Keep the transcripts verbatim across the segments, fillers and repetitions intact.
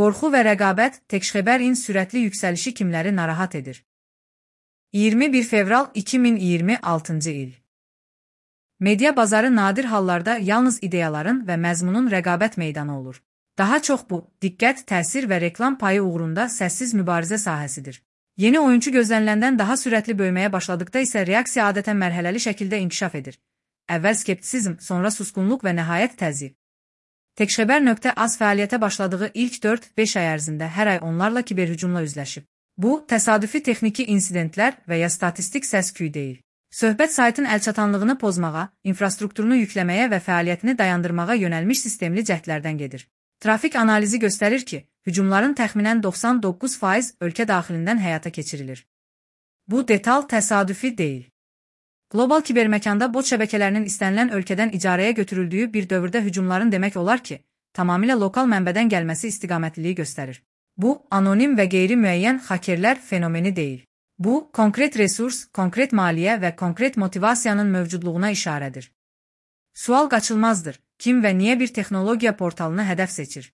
Qorxu və rəqabət Tekşxebərin sürətli yüksəlişi kimləri narahat edir? iyirmi bir fevral iki min iyirmi altıncı il. Media bazarı nadir hallarda yalnız ideyaların və məzmunun rəqabət meydanı olur. Daha çox bu, diqqət, təsir və reklam payı uğrunda səssiz mübarizə sahəsidir. Yeni oyuncu gözləniləndən daha sürətli böyüməyə başladıqda isə reaksiya adətən mərhələli şəkildə inkişaf edir. Əvvəl skeptisizm, sonra susqunluq və nəhayət təzyiq. Tekşxeber.az fəaliyyətə başladığı ilk dörd beş ay ərzində hər ay onlarla kiberhücumla üzləşib. Bu, təsadüfi texniki insidentlər və ya statistik səs-küy deyil. Söhbət saytın əlçatanlığını pozmağa, infrastrukturunu yükləməyə və fəaliyyətini dayandırmağa yönəlmiş sistemli cəhdlərdən gedir. Trafik analizi göstərir ki, hücumların təxminən doxsan doqquz faiz ölkə daxilindən həyata keçirilir. Bu detal təsadüfi deyil. Qlobal kiberməkanda bot şəbəkələrinin istənilən ölkədən icarəyə götürüldüyü bir dövrdə hücumların demək olar ki, tamamilə lokal mənbədən gəlməsi istiqamətliliyi göstərir. Bu, anonim və qeyri-müəyyən hakerlər fenomeni deyil. Bu, konkret resurs, konkret maliyyə və konkret motivasiyanın mövcudluğuna işarədir. Sual qaçılmazdır. Kim və niyə bir texnologiya portalını hədəf seçir?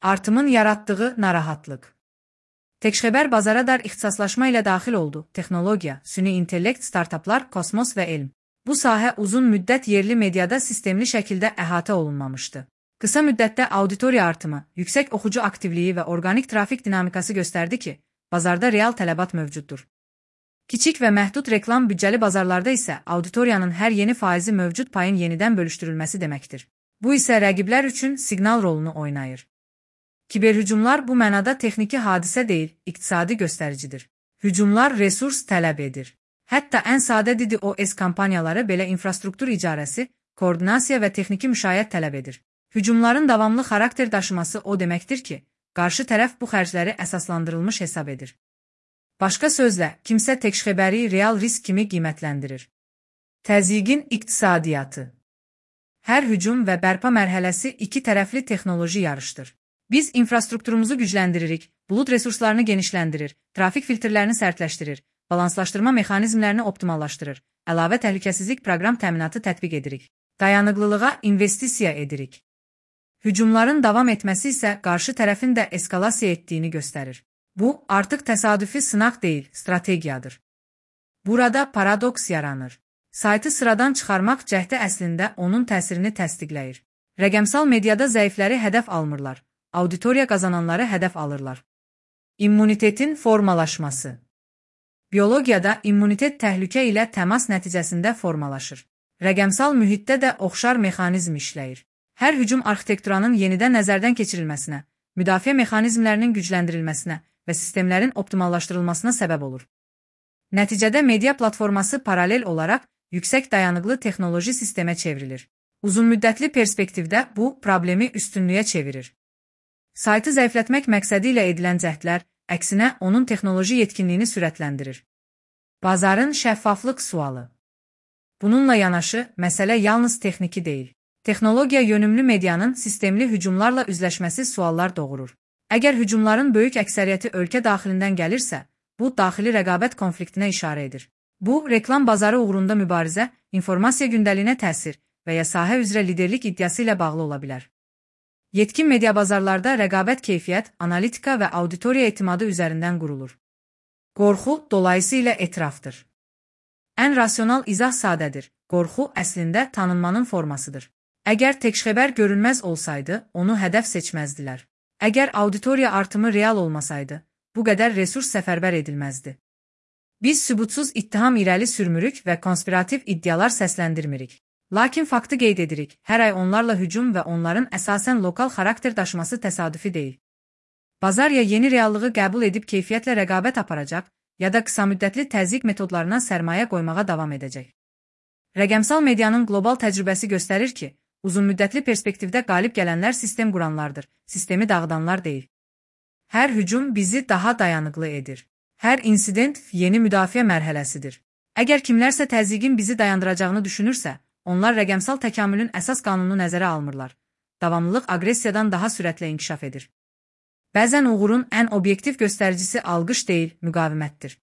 Artımın yaratdığı narahatlıq. Tekşxeber bazara dar ixtisaslaşma ilə daxil oldu. Texnologiya, süni intellekt, startaplar, kosmos və elm. Bu sahə uzun müddət yerli mediada sistemli şəkildə əhatə olunmamışdı. Qısa müddətdə auditoriya artımı, yüksək oxucu aktivliyi və orqanik trafik dinamikası göstərdi ki, bazarda real tələbat mövcuddur. Kiçik və məhdud reklam büdcəli bazarlarda isə auditoriyanın hər yeni faizi mövcud payın yenidən bölüşdürülməsi deməkdir. Bu isə rəqiblər üçün siqnal rolunu oynayır. Kiberhücumlar bu mənada texniki hadisə deyil, iqtisadi göstəricidir. Hücumlar resurs tələb edir. Hətta ən sadə D DDoS kampaniyaları belə infrastruktur icarəsi, koordinasiya və texniki müşayiət tələb edir. Hücumların davamlı xarakter daşıması o deməkdir ki, qarşı tərəf bu xərcləri əsaslandırılmış hesab edir. Başqa sözlə, kimsə Tekşxeberi real risk kimi qiymətləndirir. Təzyiqin iqtisadiyyatı. Hər hücum və bərpa mərhələsi iki tərəfli texnoloji yarışdır. Biz infrastrukturumuzu gücləndiririk, bulud resurslarını genişləndirir, trafik filtrlərini sərtləşdirir, balanslaşdırma mexanizmlərini optimallaşdırır, əlavə təhlükəsizlik proqram təminatı tətbiq edirik, dayanıqlılığa investisiya edirik. Hücumların davam etməsi isə qarşı tərəfin də eskalasiya etdiyini göstərir. Bu, artıq təsadüfi sınaq deyil, strategiyadır. Burada paradoks yaranır. Saytı sıradan çıxarmaq cəhdi əslində onun təsirini təsdiqləyir. Rəqəmsal mediada zəifləri hədəf almırlar, auditoriya qazananları hədəf alırlar. İmmunitetin formalaşması. Biologiyada immunitet təhlükə ilə təmas nəticəsində formalaşır. Rəqəmsal mühitdə də oxşar mexanizm işləyir. Hər hücum arxitekturanın yenidən nəzərdən keçirilməsinə, müdafiə mexanizmlərinin gücləndirilməsinə və sistemlərin optimallaşdırılmasına səbəb olur. Nəticədə media platforması paralel olaraq yüksək dayanıqlı texnoloji sistemə çevrilir. Uzunmüddətli perspektivdə bu problemi üstünlüyə çevirir. Saytı zəiflətmək məqsədi ilə edilən cəhdlər, əksinə onun texnoloji yetkinliyini sürətləndirir. Bazarın şəffaflıq sualı. Bununla yanaşı, məsələ yalnız texniki deyil. Texnologiya yönümlü medianın sistemli hücumlarla üzləşməsi suallar doğurur. Əgər hücumların böyük əksəriyyəti ölkə daxilindən gəlirsə, bu, daxili rəqabət konfliktinə işarə edir. Bu, reklam bazarı uğrunda mübarizə, informasiya gündəliyinə təsir və ya sahə üzrə liderlik iddiası ilə bağlı ola bilər. Yetkin media bazarlarda rəqabət keyfiyyət, analitika və auditoriya etimadı üzərindən qurulur. Qorxu dolayısıyla etirafdır. Ən rasional izah sadədir. Qorxu əslində tanınmanın formasıdır. Əgər Tekşxeber görünməz olsaydı, onu hədəf seçməzdilər. Əgər auditoriya artımı real olmasaydı, bu qədər resurs səfərbər edilməzdi. Biz sübutsuz ittiham irəli sürmürük və konspirativ iddialar səsləndirmirik. Lakin faktı qeyd edirik, hər ay onlarla hücum və onların əsasən lokal xarakter daşıması təsadüfi deyil. Bazar ya yeni reallığı qəbul edib keyfiyyətlə rəqabət aparacaq, ya da qısa müddətli təzyiq metodlarına sərmayə qoymağa davam edəcək. Rəqəmsal medianın qlobal təcrübəsi göstərir ki, uzunmüddətli perspektivdə qalib gələnlər sistem quranlardır, sistemi dağıdanlar deyil. Hər hücum bizi daha dayanıqlı edir. Hər insident yeni müdafiə mərhələsidir. Əgər kimlərsə təzyiqin bizi dayandıracağını düşünürsə, onlar rəqəmsal təkamülün əsas qanununu nəzərə almırlar. Davamlılıq aqressiyadan daha sürətlə inkişaf edir. Bəzən uğurun ən obyektiv göstəricisi alqış deyil, müqavimətdir.